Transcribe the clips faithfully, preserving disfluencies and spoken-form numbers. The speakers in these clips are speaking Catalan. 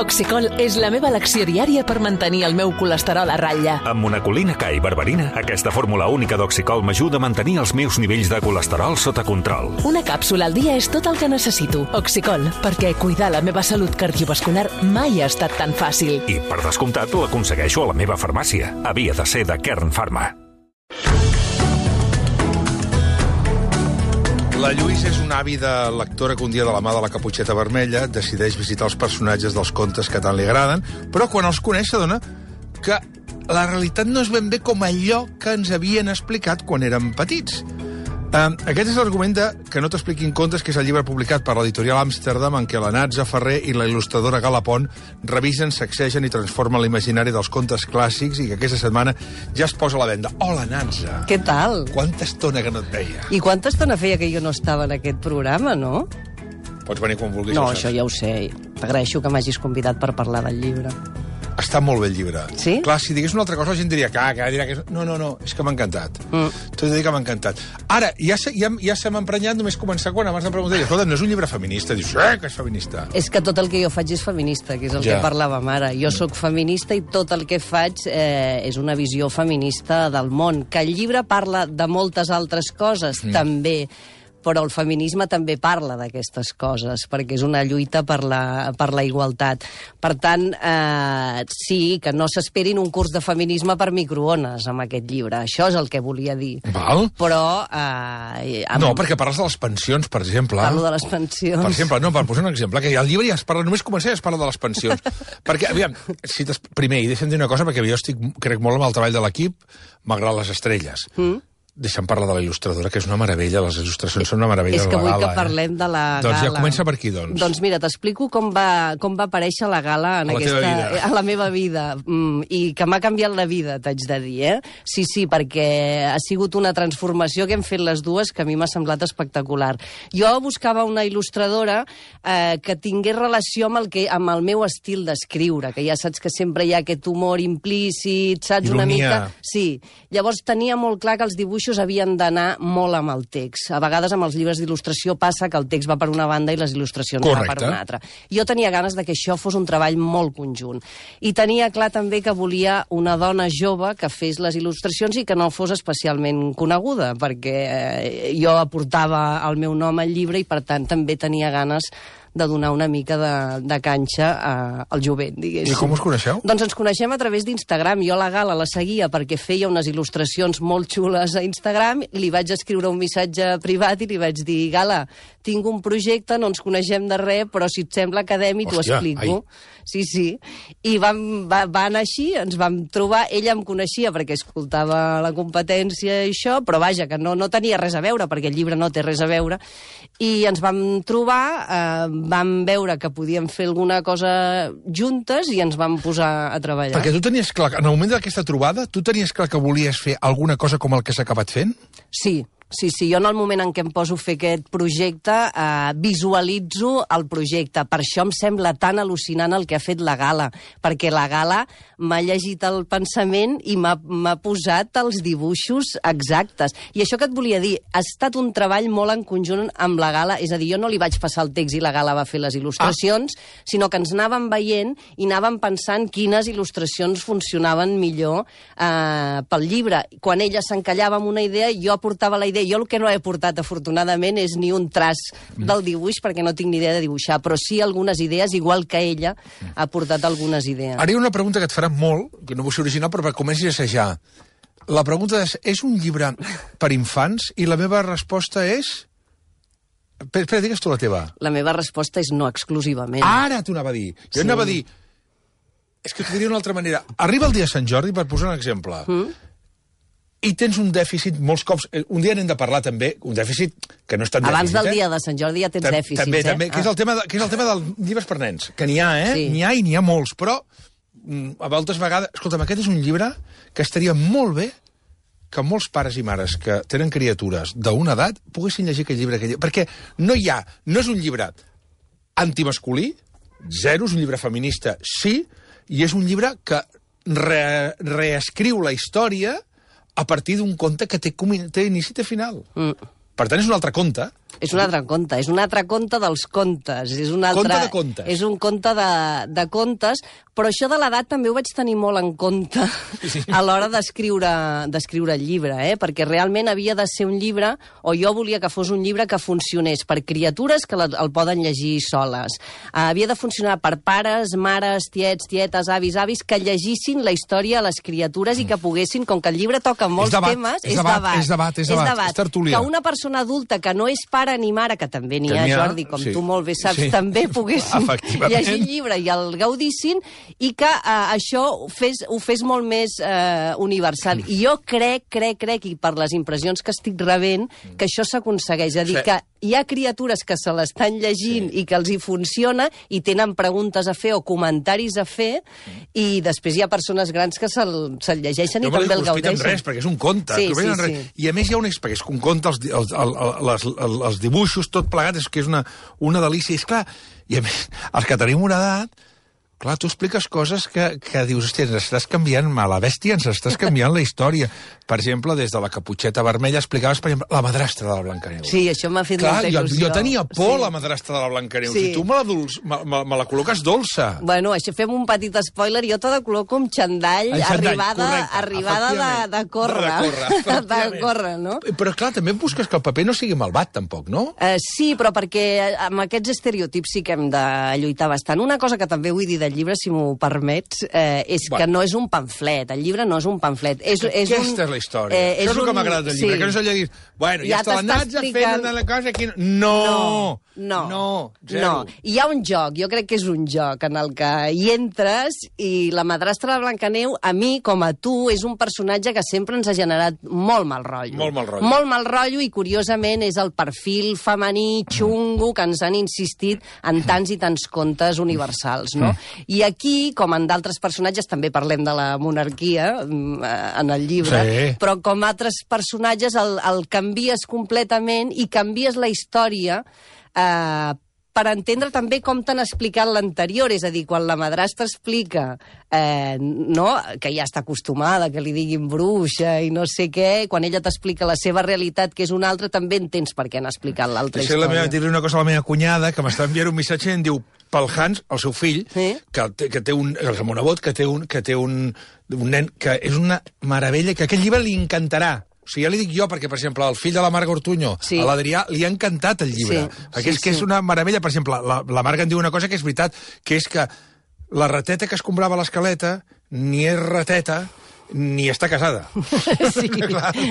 Oxicol és la meva elecció diària per mantenir el meu colesterol a ratlla. Amb monacolina K i berberina, aquesta fórmula única d'Oxicol m'ajuda a mantenir els meus nivells de colesterol sota control. Una càpsula al dia és tot el que necessito. Oxicol, perquè cuidar la meva salut cardiovascular mai ha estat tan fàcil. I, per descomptat, l'aconsegueixo a la meva farmàcia. Havia de ser de Kern Pharma. La Lluïsa és una àvida lectora que un dia de la mà de la Caputxeta Vermella decideix visitar els personatges dels contes que tant li agraden, però quan els coneix s'adona que la realitat no és ben bé com allò que ens havien explicat quan érem petits. Uh, aquest és l'argument de Que no t'expliquin contes, que és el llibre publicat per l'editorial Amsterdam, en què la Natza Ferrer i la il·lustradora Gala Pont revisen, sacsegen i transformen l'imaginari dels contes clàssics i que aquesta setmana ja es posa a la venda. Hola, Natza! Què tal? Quanta estona que no et veia. I quanta estona feia que jo no estava en aquest programa, no? Pots venir quan vulguis. No, això ja ho sé. T'agraeixo que m'hagis convidat per parlar del llibre. Està molt bé el llibre. Sí? Clar, si digués una altra cosa la gent diria que, que dirà que... No, no, no, és que m'ha encantat. Mm. T'ho he de dir que m'ha encantat. Ara, ja se, ja, ja se m'ha emprenyat només començar quan abans em preguntaria, escolta, no és un llibre feminista? Dius, eh, que és feminista. És que tot el que jo faig és feminista, que és el ja. que parlàvem ara. Jo sóc feminista i tot el que faig eh, és una visió feminista del món. Que el llibre parla de moltes altres coses, mm. també, però el feminisme també parla d'aquestes coses, perquè és una lluita per la, per la igualtat. Per tant, eh, sí, que no s'esperin un curs de feminisme per microones amb aquest llibre. Això és el que volia dir. Val. Però... Eh, amb... No, perquè parles de les pensions, per exemple. Parlo de les pensions. Per exemple, no, per posar un exemple, que al llibre ja es parla, només començar ja es parla de les pensions. Perquè, aviam, si primer, i deixa'm dir una cosa, perquè jo estic, crec molt amb el treball de l'equip, malgrat les estrelles. Mm. Deixa'm parlar de la il·lustradora, que és una meravella, les il·lustracions són una meravella. És que vull gala, que parlem eh? de la doncs gala. Doncs ja comença per aquí, doncs. Doncs mira, t'explico com va, com va aparèixer la gala en a, la aquesta, a la meva vida, mm, i que m'ha canviat la vida, t'haig de dir, eh? Sí, sí, perquè ha sigut una transformació que hem fet les dues que a mi m'ha semblat espectacular. Jo buscava una il·lustradora eh, que tingués relació amb el, que, amb el meu estil d'escriure, que ja saps que sempre hi ha aquest humor implícit, saps? Ironia. Una mica... Sí. Llavors tenia molt clar que els dibuixos havien d'anar molt amb el text. A vegades amb els llibres d'il·lustració passa que el text va per una banda i les il·lustracions Correcte. va per una altra. Jo tenia ganes de que això fos un treball molt conjunt. I tenia clar també que volia una dona jove que fes les il·lustracions i que no fos especialment coneguda, perquè eh, jo aportava el meu nom al llibre i per tant també tenia ganes de donar una mica de, de canxa a, al jovent, diguéssim. I com us coneixeu? Doncs ens coneixem a través d'Instagram. Jo la Gala la seguia perquè feia unes il·lustracions molt xules a Instagram, li vaig escriure un missatge privat i li vaig dir, Gala, tinc un projecte, no ens coneixem de res, però si et sembla acadèmic t'ho explico. Ai. Sí, sí. I vam, va, va anar així, ens vam trobar, ella em coneixia perquè escoltava la competència i això, però vaja, que no, no tenia res a veure, perquè el llibre no té res a veure, i ens vam trobar, eh, vam veure que podíem fer alguna cosa juntes i ens vam posar a treballar. Perquè tu tenies clar, en el moment d'aquesta trobada, tu tenies clar que volies fer alguna cosa com el que s'ha acabat fent? Sí. Sí, sí, jo en el moment en què em poso a fer aquest projecte eh, visualitzo el projecte. Per això em sembla tan al·lucinant el que ha fet la Gala, perquè la Gala m'ha llegit el pensament i m'ha posat els dibuixos exactes. I això que et volia dir, ha estat un treball molt en conjunt amb la Gala, és a dir, jo no li vaig passar el text i la Gala va fer les il·lustracions, ah. sinó que ens anàvem veient i anàvem pensant quines il·lustracions funcionaven millor eh, pel llibre. Quan ella s'encallava amb una idea, jo aportava la idea. Jo el que no he portat, afortunadament, és ni un traç del dibuix, perquè no tinc ni idea de dibuixar, però sí algunes idees, igual que ella ha portat algunes idees. Ara hi ha una pregunta que et farà molt, que no vull ser original, però perquè comencis a assajar. La pregunta és, és un llibre per infants? I la meva resposta és... Espera, digues tu la teva. La meva resposta és no exclusivament. Ara t'ho anava a dir. Jo sí. anava a dir... És que t'ho diria d'una altra manera. Arriba el dia de Sant Jordi, per posar un exemple... Mm? I tens un dèficit, molts cops... Un dia n'hem de parlar, també, un dèficit que no és tan Abans dèficit, del eh? dia de Sant Jordi ja tens Tam dèficits, també, eh? També, que, ah. és el tema de, que és el tema dels llibres per nens, que n'hi ha, eh? Sí. N'hi ha i n'hi ha molts, però a voltes vegades... Escolta'm, aquest és un llibre que estaria molt bé que molts pares i mares que tenen criatures d'una edat poguessin llegir aquest llibre, aquest llibre. Perquè no hi ha... No és un llibre antimasculí, zero, és un llibre feminista, sí, i és un llibre que re, reescriu la història a partir d'un conte que té, té inici i té final. Mm. Per tant, és un altre conte, És un altre conte, és un altre conte dels contes. És un altre, Conte de contes. És un conte de, de contes, però això de l'edat també ho vaig tenir molt en compte sí. a l'hora d'escriure d'escriure el llibre, eh? Perquè realment havia de ser un llibre, o jo volia que fos un llibre que funcionés per criatures que el poden llegir soles. Uh, havia de funcionar per pares, mares, tiets, tietes, avis, avis, que llegissin la història a les criatures i que poguessin, com que el llibre toca molts debat, temes... És debat, és debat, és debat, és, debat, és tertúlia. Que una persona adulta que no és pare ni mare, que també n'hi ha, Jordi, com sí. tu molt bé saps, sí. també poguessin llegir el llibre i el gaudissin, i que uh, això ho fes, ho fes molt més uh, universal. I jo crec, crec, crec, i per les impressions que estic rebent, que això s'aconsegueix. És a dir, sí. que hi ha criatures que se l'estan llegint sí. i que els hi funciona i tenen preguntes a fer o comentaris a fer, i després hi ha persones grans que se'l se llegeixen jo i també el gaudeixen. No res, perquè és un conte. Sí, sí, sí. I a més hi ha un... perquè és un conte, els, els, els, els, els dibuixos, tot plegat, és que és una, una delícia. I és clar, i a més, els que tenim una edat, clar, tu expliques coses que, que dius, hòstia, ens estàs canviant, a la bèstia ens estàs canviant la història. Per exemple, des de la Caputxeta Vermella explicaves, per exemple, la madrastra de la Blancaneu. Sí, això m'ha fet clar, molta il·lusió. Jo, jo tenia por, sí. la madrastra de la Blancaneu. Sí. Si tu me la, dulç, me, me, me la col·loques dolça. Bueno, això fem un petit spoiler. Jo te la col·loco amb xandall, xandall arribada, correcte, arribada de, de córrer. De córrer, de córrer, no? Però, clar, també busques que el paper no sigui malvat, tampoc, no? Uh, sí, però perquè amb aquests estereotips sí que hem de lluitar bastant. Una cosa que també vull dir del llibre, si m'ho permets, eh, és bueno. que no és un pamflet. El llibre no és un pamflet. És, és Aquesta un, és la història. Eh, és Això és el que m'ha agradat del llibre, sí. que no és allò de dir, bueno, ja, ja està l'Anatza explicant... fent una cosa aquí... No! No, no, no, zero. no. Hi ha un joc, jo crec que és un joc en el que hi entres i la madrastra de Blancaneu, a mi, com a tu, és un personatge que sempre ens ha generat molt mal rotllo. Molt mal rotllo. Molt mal rotllo i, curiosament, és el perfil femení xungo que ens han insistit en tants i tants contes universals, no? I aquí, com en d'altres personatges, també parlem de la monarquia en el llibre, sí. però com altres personatges el, el canvies completament i canvies la història eh, per entendre també com t'han explicat l'anterior, és a dir, quan la madrastra explica eh, no, que ja està acostumada, que li diguin bruixa i no sé què, quan ella t'explica la seva realitat, que és una altra, també entens per què han explicat l'altra història. La meva, dir-li una cosa a la meva cunyada, que m'està enviant un missatge i em diu, pel Hans, el seu fill, sí? que, té, que té un, el Ramonabot, que té un, que té un, un nen, que és una meravella, que aquest llibre li encantarà. O sigui, ja li dic jo, perquè, per exemple, el fill de la Marga Ortuño, sí. a l'Adrià, li ha encantat el llibre. Sí, perquè sí, és que sí. és una meravella. Per exemple, la, la Marga em diu una cosa que és veritat, que és que la rateta que es comprava a l'escaleta ni és rateta, ni està casada. Sí,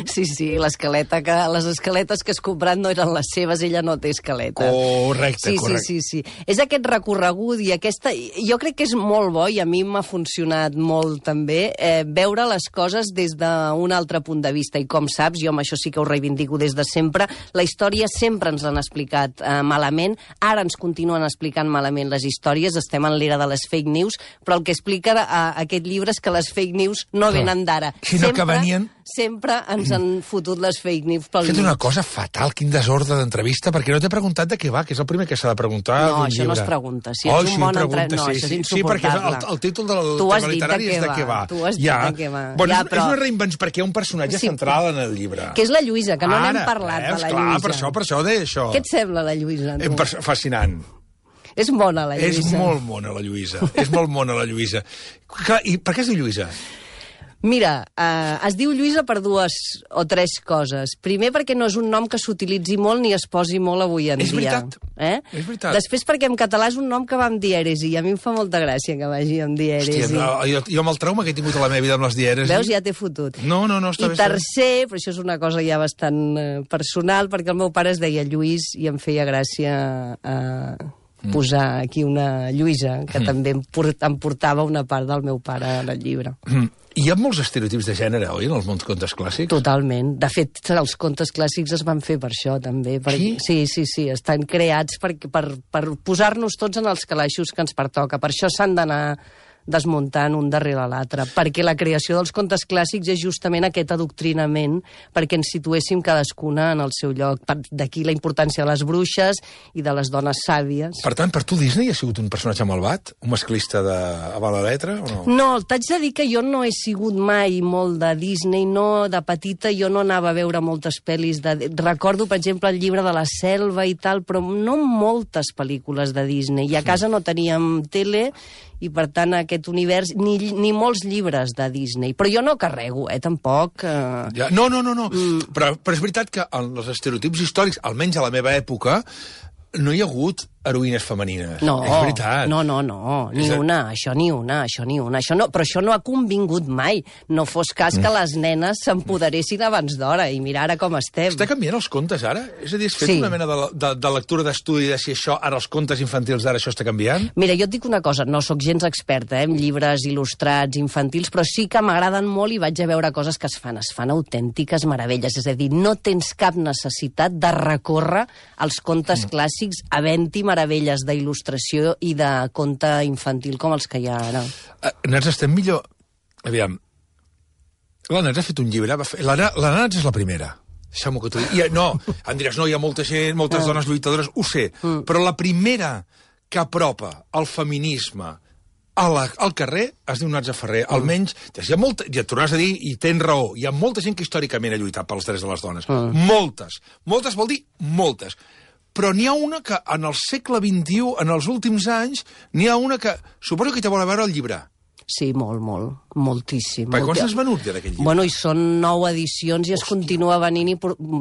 sí, sí, l'escaleta que, les escaletes que has comprat no eren les seves, ella no té escaleta. Correcte, sí, correcte. Sí, sí, sí. És aquest recorregut i aquesta... Jo crec que és molt bo, i a mi m'ha funcionat molt també, eh, veure les coses des d'un altre punt de vista. I com saps, jo amb això sí que ho reivindico des de sempre, la història sempre ens l'han explicat eh, malament, ara ens continuen explicant malament les històries, estem en l'era de les fake news, però el que explica eh, aquest llibre és que les fake news no venen d'ara. Sinó sempre, que venien... sempre ens han fotut les fake news pel mig. És una cosa fatal, quin desordre d'entrevista, perquè no t'he preguntat de què va, que és el primer que s'ha de preguntar no, d'un llibre. això no es pregunta. Si oh, ets un sí, bon pregunta, entre... No, sí, això és sí, insuportable. Sí, perquè el, el títol del tu tema literari de és de què va. Tu has ja. dit de què va. Bueno, ja, és, però... és una reinvenció, perquè hi ha un personatge sí, central en el llibre. Que és la Lluïsa, que no Ara, n'hem parlat veus, de la clar, Lluïsa. Per això, per això deia això. Què et sembla la Lluïsa, tu? Fascinant. És mona, la Lluïsa. És molt mona, la Lluïsa. És molt mona, la Lluïsa. Clar, i per què es diu Lluïsa? Mira, eh, es diu Lluïsa per dues o tres coses. Primer, perquè no és un nom que s'utilitzi molt ni es posi molt avui en és dia. Veritat. Eh? És veritat. Després, perquè en català és un nom que va amb dièresi, i a mi em fa molta gràcia que vagi amb dièresi. Hòstia, no, jo, jo amb el trauma que he tingut a la meva vida amb les dièresi... Veus, ja t'he fotut. No, no, no, està I bé. I tercer, però això és una cosa ja bastant eh, personal, perquè el meu pare es deia Lluís i em feia gràcia... Eh, posar aquí una Lluïsa, que mm. també em, port, em portava una part del meu pare en el llibre. Mm. Hi ha molts estereotips de gènere, oi, en els mons contes clàssics? Totalment. De fet, els contes clàssics es van fer per això, també. Per... Sí? Sí, sí, sí. Estan creats per, per, per posar-nos tots en els calaixos que ens pertoca. Per això s'han d'anar desmuntant un darrere l'altre, perquè la creació dels contes clàssics és justament aquest adoctrinament perquè ens situéssim cadascuna en el seu lloc. D'aquí la importància de les bruixes i de les dones sàvies. Per tant, per tu Disney ha sigut un personatge malvat? Un masclista de a bala letra o no? No, t'haig de dir que jo no he sigut mai molt de Disney, no, de petita jo no anava a veure moltes pel·lis. De... Recordo, per exemple, el llibre de la selva i tal, però no moltes pel·lícules de Disney. I a casa no teníem tele i, per tant, aquest univers, ni, ni molts llibres de Disney. Però jo no carrego, eh, tampoc. Eh... Ja, no, no, no, no. Mm. Però, però és veritat que en els estereotips històrics, almenys a la meva època, no hi ha hagut heroïnes femenines. No, és veritat. no, no, no, ni és una, això ni una, això ni una. Això no, però això no ha convingut mai. No fos cas que les nenes s'empoderessin abans d'hora, i mira ara com estem. Està canviant els contes ara? És a dir, has fet Sí. una mena de, de, de lectura d'estudi de si això, ara els contes infantils d'ara això està canviant? Mira, jo et dic una cosa, no sóc gens experta eh, en llibres il·lustrats infantils, però sí que m'agraden molt i vaig a veure coses que es fan. Es fan autèntiques meravelles. És a dir, no tens cap necessitat de recórrer als contes mm. clàssics havent-hi meravelles d'il·lustració il·lustració i de conte infantil com els que hi ha ara. Uh, Nats, estem millor... Aviam, la Nats ha fet un llibre... Va fer... La, la Nats és la primera. Deixeu-m'ho que t'ho digui. I, no, em diràs, no, hi ha molta gent, moltes ah. dones lluitadores, ho sé, mm. però la primera que apropa el feminisme a la, al carrer es diu Natza Ferrer. Mm. Almenys, hi ha molta, ja et tornaràs a dir, i tens raó, hi ha molta gent que històricament ha lluitat pels drets de les dones. Mm. Moltes. Moltes vol dir moltes. Però n'hi ha una que, en el segle vint-i-u, en els últims anys, n'hi ha una que... Suposo que te vol veure el llibre. Sí, molt, molt, moltíssim. Per quants n'has venut ja d'aquest llibre? Bueno, i són nou edicions i es Hòstia. continua venint i,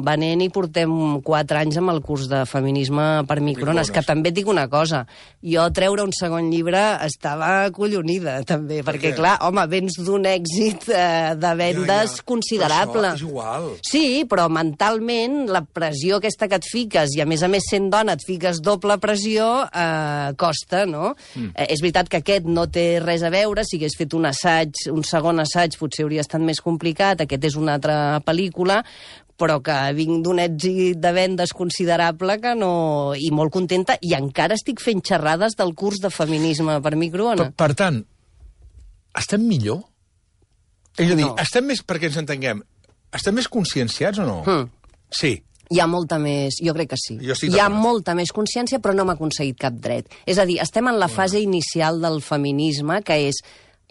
venent i portem quatre anys amb el curs de feminisme per microones, que també et dic una cosa, jo treure un segon llibre estava acollonida, també, per perquè, clar, home, vens d'un èxit eh, de vendes ja, ja. considerable. Però això és igual. Sí, però mentalment la pressió aquesta que et fiques, i a més a més sent dona et fiques doble pressió, eh, costa, no? Mm. Eh, és veritat que aquest no té res a veure, si hagués fet un assaig, un segon assaig, potser hauria estat més complicat, aquest és una altra pel·lícula, però que vinc d'un èxit de vendes considerable que no... i molt contenta, i encara estic fent xerrades del curs de feminisme per microones. Per, per tant, estem millor? És a dir, No. estem més, perquè ens entenguem, estem més conscienciats o no? Mm. Sí. Hi ha molta més... Jo crec que sí. Jo estic Hi ha d'acord. molta més consciència, però no hem aconseguit cap dret. És a dir, estem en la fase inicial del feminisme, que és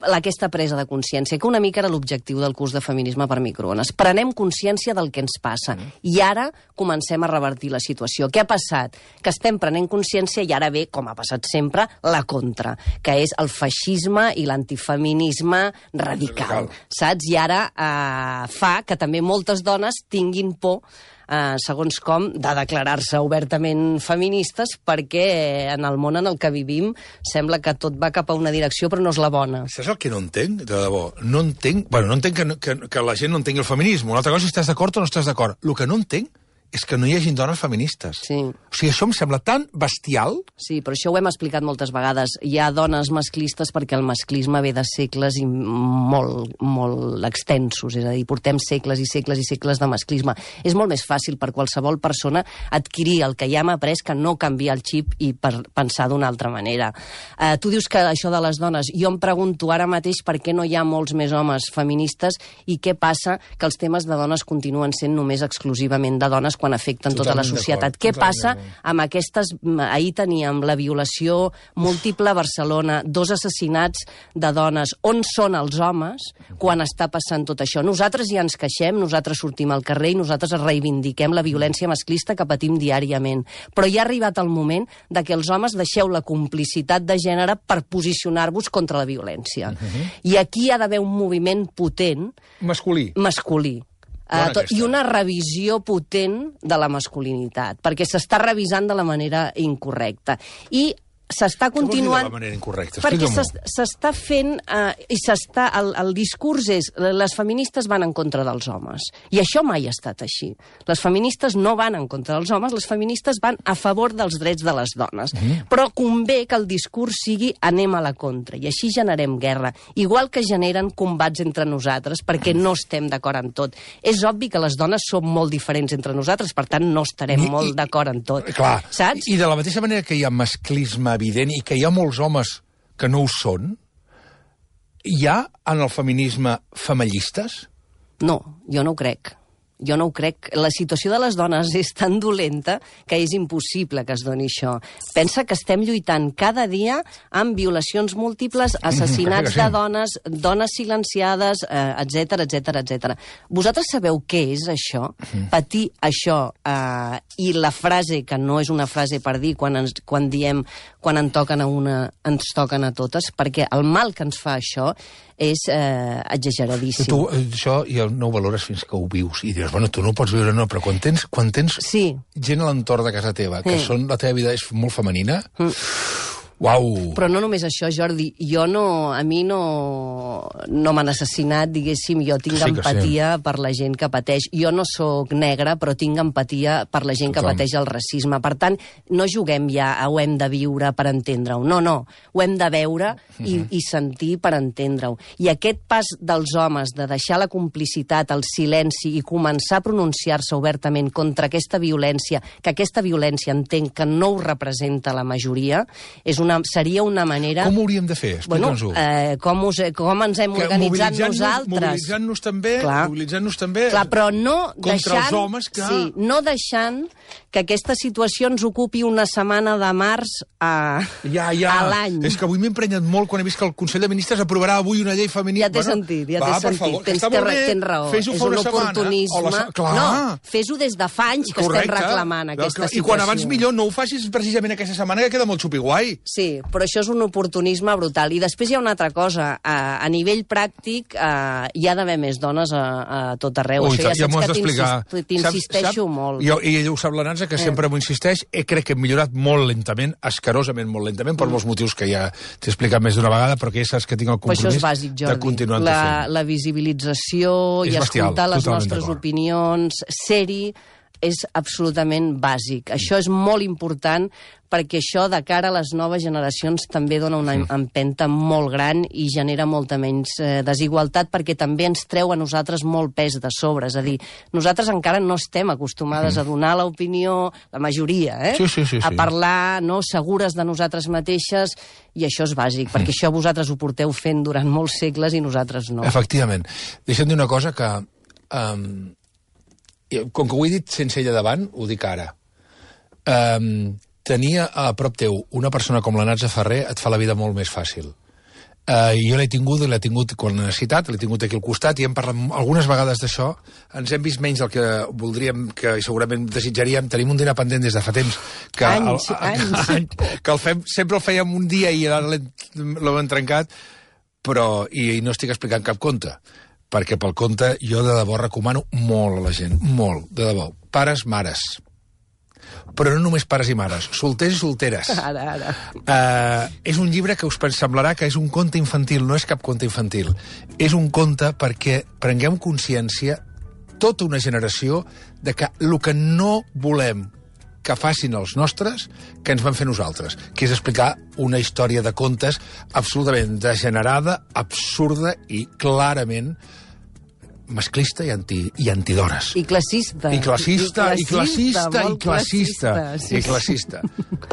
aquesta presa de consciència, que una mica era l'objectiu del curs de feminisme per microones. Prenem consciència del que ens passa. Mm. I ara comencem a revertir la situació. Què ha passat? Que estem prenent consciència i ara ve, com ha passat sempre, la contra, que és el feixisme i l'antifeminisme radical. radical. Saps? I ara eh, fa que també moltes dones tinguin por Uh, segons com, de declarar-se obertament feministes, perquè en el món en el que vivim sembla que tot va cap a una direcció, però no és la bona. Saps el que no entenc, de debò? No entenc... Bueno, no entenc que, que, que la gent no entengui el feminisme. Una altra cosa és si estàs d'acord o no estàs d'acord. El que no entenc és que no hi hagi dones feministes. Sí. O sigui, això em sembla tan bestial... Sí, però això ho hem explicat moltes vegades. Hi ha dones masclistes perquè el masclisme ve de segles i molt, molt extensos. És a dir, portem segles i segles i segles de masclisme. És molt més fàcil per qualsevol persona adquirir el que ja hem après que no canviar el xip i per pensar d'una altra manera. Uh, tu dius que això de les dones... Jo em pregunto ara mateix per què no hi ha molts més homes feministes i què passa que els temes de dones continuen sent només exclusivament de dones quan afecten tota la societat. Què passa amb aquestes... Ahir teníem la violació múltiple a Barcelona, dos assassinats de dones. On són els homes quan està passant tot això? Nosaltres ja ens queixem, nosaltres sortim al carrer i nosaltres reivindiquem la violència masclista que patim diàriament. Però ja ha arribat el moment de que els homes deixeu la complicitat de gènere per posicionar-vos contra la violència. Uh-huh. I aquí hi ha d'haver un moviment potent... Masculí. Masculí. Uh, tot, I una revisió potent de la masculinitat, perquè s'està revisant de la manera incorrecta. I s'està continuant... Què vol dir de la manera incorrecta? Perquè s'està fent... Eh, i s'està... El, el discurs és... Les feministes van en contra dels homes. I això mai ha estat així. Les feministes no van en contra dels homes, les feministes van a favor dels drets de les dones. Mm. Però convé que el discurs sigui anem a la contra, i així generem guerra. Igual que generen combats entre nosaltres, perquè no estem d'acord en tot. És obvi que les dones som molt diferents entre nosaltres, per tant no estarem I, molt d'acord en tot. Clar. Saps? I de la mateixa manera que hi ha masclisme evident i que hi ha molts homes que no ho són, hi ha en el feminisme femallistes? No, jo no ho crec. Jo no ho crec. La situació de les dones és tan dolenta que és impossible que es doni això. Pensa que estem lluitant cada dia amb violacions múltiples, assassinats de dones, dones silenciades, etcètera, etcètera, etcètera. Vosaltres sabeu què és això? Patir això. Eh, I la frase, que no és una frase per dir quan, ens, quan diem quan en toquen a una, ens toquen a totes, perquè el mal que ens fa això és eh, exageradíssim. Tu això ja no ho valores fins que ho vius i dius, bueno, tu no ho pots viure, no, però quan tens, quan tens sí. gent a l'entorn de casa teva, que sí. són, la teva vida és molt femenina, mm. uau! Però no només això, Jordi, jo no, a mi no, no m'han assassinat, diguéssim, jo tinc sí empatia sí. per la gent que pateix. Jo no sóc negra, però tinc empatia per la gent que Tothom. pateix el racisme. Per tant, no juguem ja a ho hem de viure per entendre-ho. No, no, ho hem de veure i, uh-huh. i sentir per entendre-ho. I aquest pas dels homes de deixar la complicitat, el silenci i començar a pronunciar-se obertament contra aquesta violència, que aquesta violència entenc que no ho representa la majoria, és una Una, seria una manera... Com ho hauríem de fer? Explica'ns-ho. Bueno, eh, com, us, com ens hem que organitzat nosaltres. Mobilitzant-nos també, mobilitzant-nos també Clar, però no contra deixant, els homes que... Sí, no deixant que aquesta situació ens ocupi una setmana de març a, ja, ja. a l'any. És que avui m'he emprenyat molt quan he vist que el Consell de Ministres aprovarà avui una llei feminista. Ja t'he bueno, sentit, ja t'he sentit. Favor, tens, té, tens raó. Fes-ho és fa un una oportunisme. La... Clar. No, fes-ho des de fa anys que Correcte. estem reclamant aquesta situació. I quan abans millor, no ho facis precisament aquesta setmana, que queda molt xupiguai. Sí, però això és un oportunisme brutal. I després hi ha una altra cosa. A, a nivell pràctic uh, hi ha d'haver més dones a, a tot arreu. Ui, això ja, ja saps que t'insisteixo molt. Jo, I ella ho sap, la Nansa, que eh. sempre m'ho insisteix. Eh, crec que hem millorat molt lentament, escarosament molt lentament, per mm. molts motius que ja t'he explicat més d'una vegada, però que ja saps que tinc el compromís bàsic, Jordi, de continuar la, la visibilització és i bestial, escoltar les nostres opinions, ser-hi, és absolutament bàsic. Això és molt important perquè això, de cara a les noves generacions, també dona una empenta molt gran i genera molta menys eh, desigualtat, perquè també ens treu a nosaltres molt pes de sobre. És a dir, nosaltres encara no estem acostumades a donar l'opinió, la majoria, eh? Sí, sí, sí, sí. A parlar, no, segures de nosaltres mateixes, i això és bàsic, perquè això vosaltres ho porteu fent durant molts segles i nosaltres no. Efectivament. Deixa'm dir una cosa que... Um, com que ho he dit sense ella davant, ho dic ara. Um, tenir a prop teu una persona com la Natza Ferrer et fa la vida molt més fàcil. Uh, jo l'he tingut, l'he tingut quan l'he necessitat, l'he tingut aquí al costat i hem parlat algunes vegades d'això. Ens hem vist menys del que voldríem, que segurament desitjaríem. Tenim un dinar pendent des de fa temps. Que anys, el, anys. Any, que el fem, sempre el fèiem un dia i ara l'hem trencat, però i, i no estic explicant cap conte. Perquè pel conte jo de debò recomano molt a la gent, molt, de debò. Pares, mares. Però no només pares i mares, solters i solteres. Ara, ara. Uh, és un llibre que us semblarà que és un conte infantil, no és cap conte infantil. És un conte perquè prenguem consciència, tota una generació, de que el que no volem que facin els nostres, que ens van fer nosaltres, que és explicar una història de contes absolutament degenerada, absurda i clarament masclista i, anti, i antidores. I classista. I classista, i classista, i classista, i classista. Sí. I classista.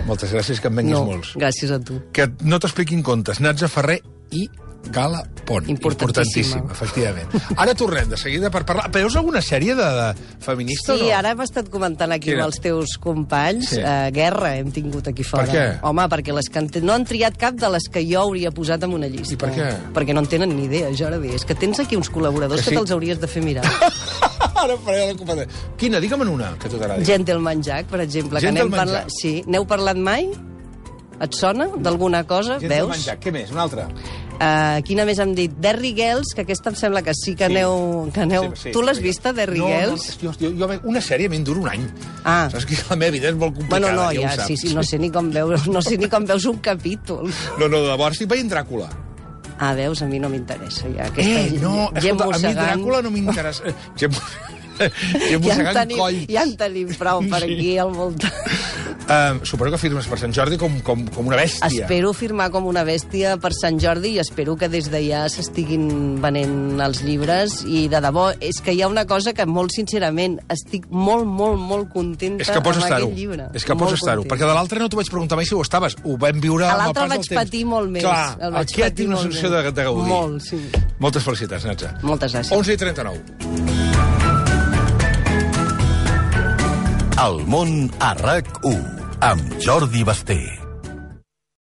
Moltes gràcies, que em venguis no, molts. Gràcies a tu. Que no t'expliquin contes. Natza Ferrer i Gala Pont. Importantíssim, efectivament. Ara tornem de seguida per parlar. Veus alguna sèrie de, de feminista sí, o no? Sí, ara hem estat comentant aquí Quina? amb els teus companys. Sí. Uh, guerra hem tingut aquí fora. Per què? Home, perquè les que han... no han triat cap de les que jo hauria posat en una llista. I per què? Perquè no en tenen ni idea, Jordi. És que tens aquí uns col·laboradors que, sí? que te'ls hauries de fer mirar. Ara faré la competència. Quina? Digue'm una, que tu t'agradi. Gentleman Jack, per exemple. Gentleman que parla... Jack. Sí. N'heu parlat mai? Et sona d'alguna cosa? Gentleman Veus? Jack. Què més? Una altra? Uh, quina més hem dit? Derry Girls, que aquesta em sembla que sí que sí. aneu... Que aneu... Sí, sí, tu l'has vista, Derry no, Girls? No, jo, jo, una sèrie me'n dura un any. Ah. Saps que la meva vida és molt complicada, bueno, no, ja, ja ho saps. Sí, sí, no sé ni com veus, no sé ni com veus un capítol. No, no, llavors estic veient Dràcula. Ah, veus, a mi no m'interessa ja. Aquesta Eh, no, escolta, a mi Dràcula no m'interessa. Gent ja, en tenim, ja en tenim prou per aquí al voltant. Uh, suposo que firmes per Sant Jordi com, com, com una bèstia. Espero firmar com una bèstia per Sant Jordi i espero que des d'allà s'estiguin venent els llibres i de debò, és que hi ha una cosa que molt sincerament estic molt, molt, molt contenta és que pots amb estar-ho. aquest llibre. És que pots estar-ho, perquè de l'altre no t'ho vaig preguntar mai si ho estaves. Ho vam viure a amb el l'altre pas del vaig temps. patir molt més. Clar, el vaig aquest tinc una sensació de, de gaudir. Molt, sí. Moltes felicitats, Natza. Moltes gràcies. onze i trenta-nou. El món a RAC u amb Jordi Basté.